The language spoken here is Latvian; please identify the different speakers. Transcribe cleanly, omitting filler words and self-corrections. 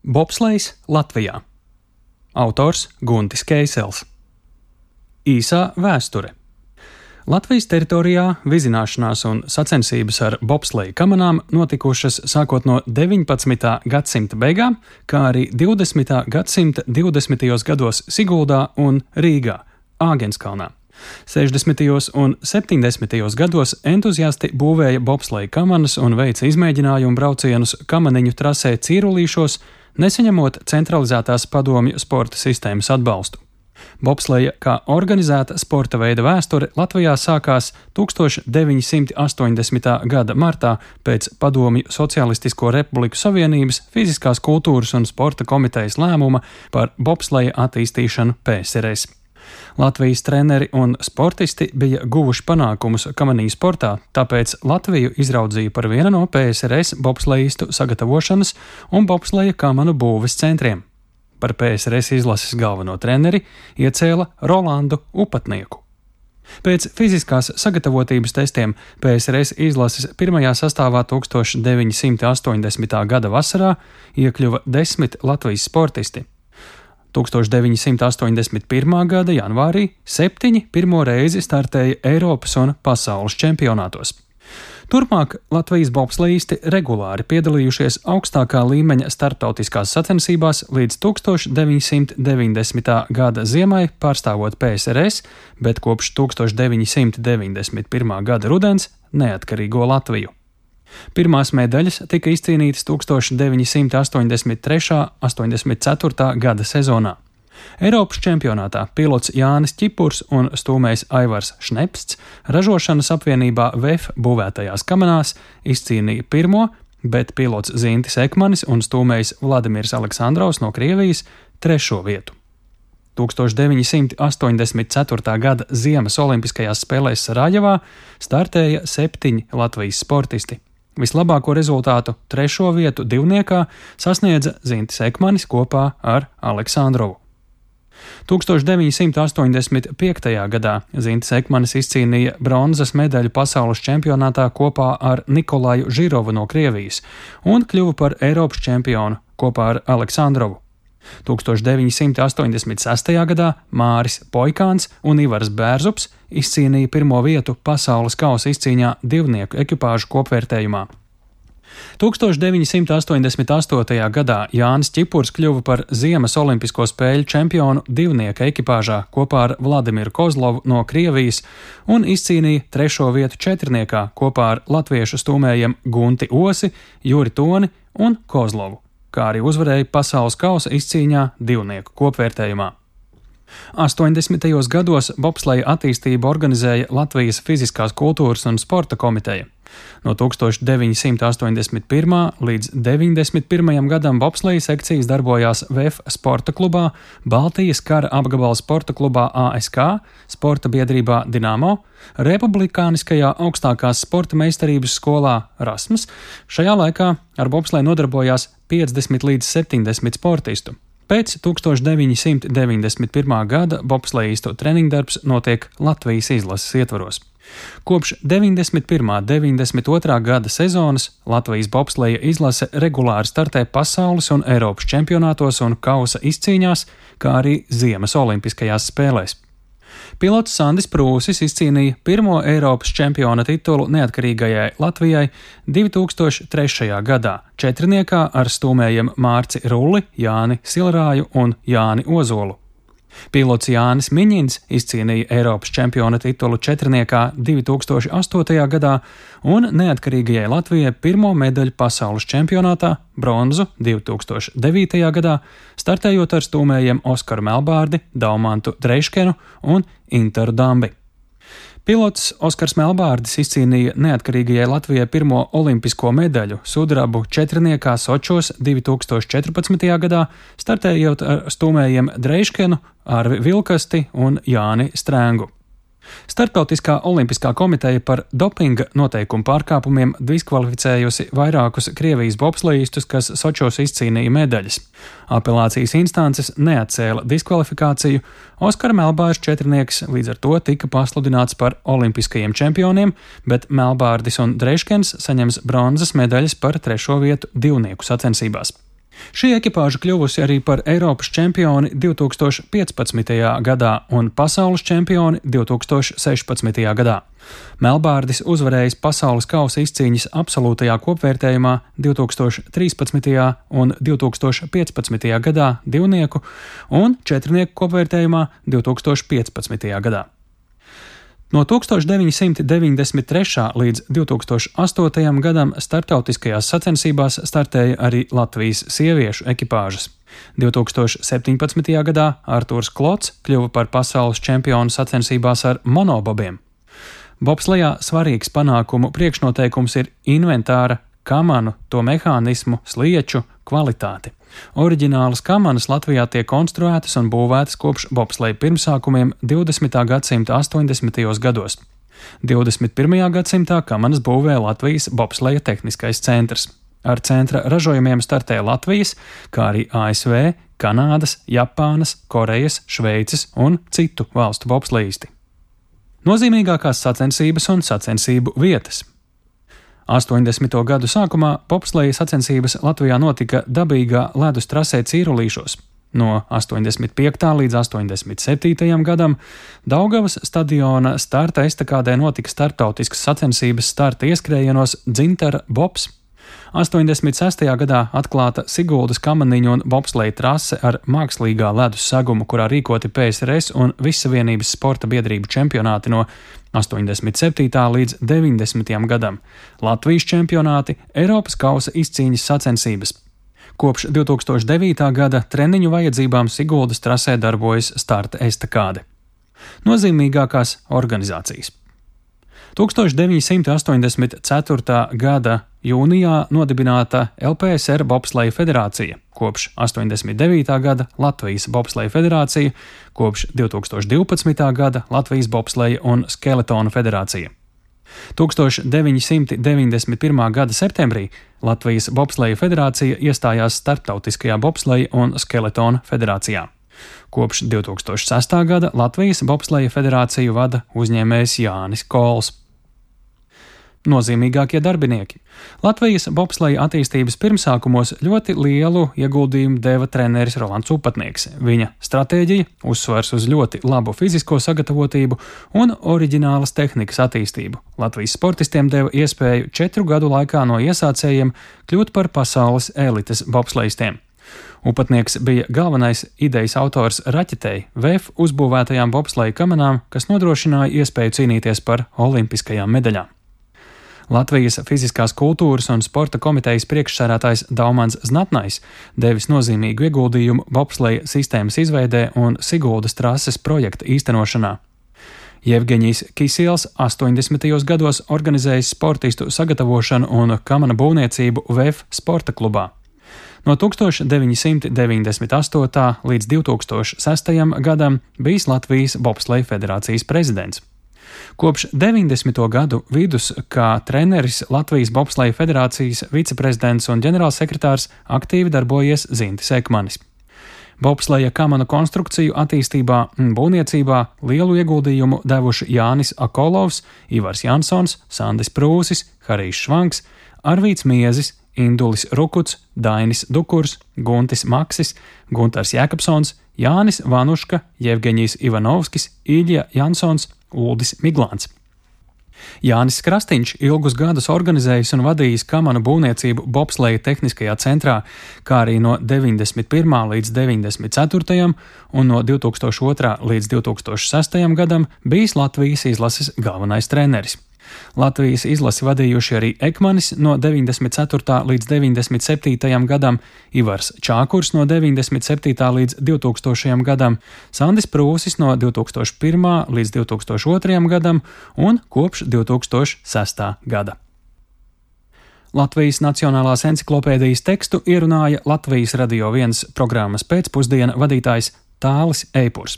Speaker 1: Bobslejs Latvijā. Autors Guntis Keisels. Īsā vēsture. Latvijas teritorijā vizināšanās un sacensības ar bobsleju kamanām notikušas sākot no 19. gadsimta beigām, kā arī 20. gadsimta 20. gados Siguldā un Rīgā, Āgenskalnā. 60. un 70. gados entuziasti būvēja bobsleju kamanas un veica izmēģinājumu braucienus kamaniņu trasē Cīrulīšos, nesaņemot centralizētās padomju sporta sistēmas atbalstu. Bobsleja kā organizēta sporta veida vēsture Latvijā sākās 1980. gada martā pēc Padomju Socialistisko Republiku Savienības fiziskās kultūras un sporta komitejas lēmuma par bobsleja attīstīšanu PSRS. Latvijas treneri un sportisti bija guvuši panākumus kamaniņu sportā, tāpēc Latviju izraudzīja par vienu no PSRS bobslejistu sagatavošanas un bobsleja kamanu būves centriem. Par PSRS izlases galveno treneri iecēla Rolandu Upatnieku. Pēc fiziskās sagatavotības testiem PSRS izlases pirmajā sastāvā 1980. gada vasarā iekļuva 10 Latvijas sportisti. 1981. gada janvārī 7 pirmo reizi startēja Eiropas un pasaules čempionātos. Turpmāk Latvijas bobslejisti regulāri piedalījušies augstākā līmeņa starptautiskās sacensībās līdz 1990. gada ziemai pārstāvot PSRS, bet kopš 1991. gada rudens neatkarīgo Latviju. Pirmās medaļas tika izcīnītas 1983. un 84. gada sezonā. Eiropas čempionātā pilots Jānis Ķipurs un stūmējs Aivars Šnepsts ražošanas apvienībā VEF būvētajās kamanās izcīnīja pirmo, bet pilots Zintis Ekmanis un stūmējs Vladimirs Aleksandrovs no Krievijas trešo vietu. 1984. gada Ziemas olimpiskajās spēlēs Sarajevā startēja 7 Latvijas sportisti. Vislabāko rezultātu trešo vietu divniekā sasniedza Zintis Ekmanis kopā ar Aleksandrovu. 1985. gadā Zintis Ekmanis izcīnīja bronzas medaļu pasaules čempionātā kopā ar Nikolaju Žirovu no Krievijas un kļuva par Eiropas čempionu kopā ar Aleksandrovu. 1986. gadā Māris Poikāns un Ivars Bērzups izcīnīja pirmo vietu pasaules kausa izcīņā divnieku ekipāžu kopvērtējumā. 1988. gadā Jānis Ķipurs kļuva par Ziemas olimpisko spēļu čempionu divnieka ekipāžā kopā ar Vladimiru Kozlovu no Krievijas un izcīnīja trešo vietu četrniekā kopā ar latviešu stūmējiem Gunti Osi, Juri Toni un Kozlovu, kā arī uzvarēja pasaules kausa izcīņā divnieku kopvērtējumā. 80. gados bobsleja attīstību organizēja Latvijas fiziskās kultūras un sporta komiteja. No 1981. līdz 91. gadam bobsleja sekcijas darbojās VEF sporta klubā, Baltijas kara apgabala sporta klubā ASK, sporta biedrībā Dinamo, Republikāniskajā augstākās sporta meistarības skolā Rasmas. Šajā laikā ar bobsleju nodarbojās 50 līdz 70 sportistu. Pēc 1991. gada bobslejistu treniņdarbs notiek Latvijas izlases ietvaros. Kopš 91. un 92. gada sezonas Latvijas bobsleja izlase regulāri startē pasaules un Eiropas čempionātos un kausa izcīņās, kā arī Ziemas olimpiskajās spēlēs. Pilots Sandis Prūsis izcīnīja pirmo Eiropas čempiona titulu neatkarīgajai Latvijai 2003. gadā četrniekā ar stūmējiem Mārci Rulli, Jāni Silrāju un Jāni Ozolu. Pilots Jānis Miņins izcīnīja Eiropas čempiona titulu četrniekā 2008. gadā un neatkarīgajai Latvijai pirmo medaļu pasaules čempionātā bronzu 2009. gadā, startējot ar stūmējiem Oskaru Melbārdi, Daumantu Dreiškenu un Interu Dambi. Pilots Oskars Melbārdis izcīnīja neatkarīgajai Latvijai pirmo olimpisko medaļu sudrabu četrniekā Sočos 2014. gadā, startējot ar stūmējiem Dreiškenu, Arvi Vilkasti un Jāni Strēngu. Starptautiskā olimpiskā komiteja par dopinga noteikumu pārkāpumiem diskvalificējusi vairākus Krievijas bobslejistus, kas Sočos izcīnīja medaļas. Apelācijas instances neatcēla diskvalifikāciju, Oskara Melbārs četrnieks līdz ar to tika pasludināts par olimpiskajiem čempioniem, bet Melbārdis un Dreiškens saņems bronzas medaļas par trešo vietu divnieku sacensībās. Šī ekipāža kļuvusi arī par Eiropas čempioni 2015. gadā un pasaules čempioni 2016. gadā. Melbārdis uzvarējis pasaules kausa izcīņas absolūtajā kopvērtējumā 2013. un 2015. gadā divnieku un četrnieku kopvērtējumā 2015. gadā. No 1993. līdz 2008. gadam starptautiskajās sacensībās startēja arī Latvijas sieviešu ekipāžas. 2017. gadā Artūrs Klots kļuva par pasaules čempionu sacensībās ar monobobiem. Bobslejā svarīgs panākumu priekšnoteikums ir inventāra, kamanu, to mehānismu, slieču kvalitāti. Oriģinālas kamanas Latvijā tiek konstruētas un būvētas kopš bobsleja pirmsākumiem 20. gadsimta 80. gados. 21. gadsimtā kamanas būvē Latvijas bobsleja tehniskais centrs. Ar centra ražojumiem startē Latvijas, kā arī ASV, Kanādas, Japānas, Korejas, Šveices un citu valstu bobslejisti. Nozīmīgākās sacensības un sacensību vietas. 80. gadu sākumā bobsleja sacensības Latvijā notika dabīgā ledus trasē Cīrulīšos. No 85. līdz 87. gadam Daugavas stadiona starta estakādē notika starptautiskas sacensības starta ieskrējienos Dzintara bobs. 86. gadā atklāta Siguldas kamaniņu un bobsleja trase ar mākslīgā ledus segumu, kurā rīkoti PSRS un Vissavienības sporta biedrību čempionāti no 87. līdz 90. gadam, Latvijas čempionāti, Eiropas kausa izcīņas sacensības. Kopš 2009. gada treniņu vajadzībām Siguldas trasē darbojas starta estakāde. Nozīmīgākās organizācijas. 1984. gada jūnijā nodibināta LPSR Bobsleja federācija, kopš 89. gada Latvijas Bobsleja federācija, kopš 2012. gada Latvijas Bobsleja un Skeletona federācija. 1991. gada septembrī Latvijas Bobsleja federācija iestājās Starptautiskajā Bobsleja un Skeletona federācijā. Kopš 2006. gada Latvijas Bobsleja federāciju vada uzņēmējs Jānis Kols. Nozīmīgākie darbinieki. Latvijas bobsleja attīstības pirmsākumos ļoti lielu ieguldījumu deva treneris Rolands Upatnieks. Viņa stratēģija, uzsvars uz ļoti labu fizisko sagatavotību un oriģinālas tehnikas attīstību. Latvijas sportistiem deva iespēju 4 gadu laikā no iesācējiem kļūt par pasaules elites bobslejistiem. Upatnieks bija galvenais idejas autors raķetei, VF uzbūvētajām bobsleja kamanām, kas nodrošināja iespēju cīnīties par olimpiskajām medaļām. Latvijas fiziskās kultūras un sporta komitejas priekšsēdētājs Daumans Znatnais devis nozīmīgu ieguldījumu bobsleja sistēmas izveidē un Siguldas trases projekta īstenošanā. Jevgeņijs Kisils 80. gados organizējis sportistu sagatavošanu un kamana būvniecību VF sporta klubā. No 1998. līdz 2006. gadam bijis Latvijas Bobsleja federācijas prezidents. Kopš 90. gadu vidus kā treneris Latvijas Bobsleja federācijas viceprezidents un ģenerālsekretārs aktīvi darbojies Zintis Ekmanis. Bobsleja kamanu konstrukciju attīstībā un būvniecībā lielu ieguldījumu devuši Jānis Akolovs, Ivars Jansons, Sandis Prūsis, Harijs Švanks, Arvīts Miezis, Indulis Rukuts, Dainis Dukurs, Guntis Maksis, Guntars Jēkabsons, Jānis Vanuška, Jevgeņijs Ivanovskis, Ilja Jansons, Uldis Miglāns. Jānis Krastīņš ilgus gadus organizējis un vadījis kamanu būvniecību Bobsleja tehniskajā centrā, kā arī no 91. līdz 94. un no 2002. līdz 2006. gadam bijis Latvijas izlases galvenais treneris. Latvijas izlasi vadījuši arī Ekmanis no 94. līdz 97. gadam, Ivars Čākurs no 97. līdz 2000. gadam, Sandis Prūsis no 2001. līdz 2002. gadam un kopš 2006. gada. Latvijas Nacionālās enciklopēdijas tekstu ierunāja Latvijas Radio 1 programmas pēcpusdiena vadītājs Tālis Eipurs.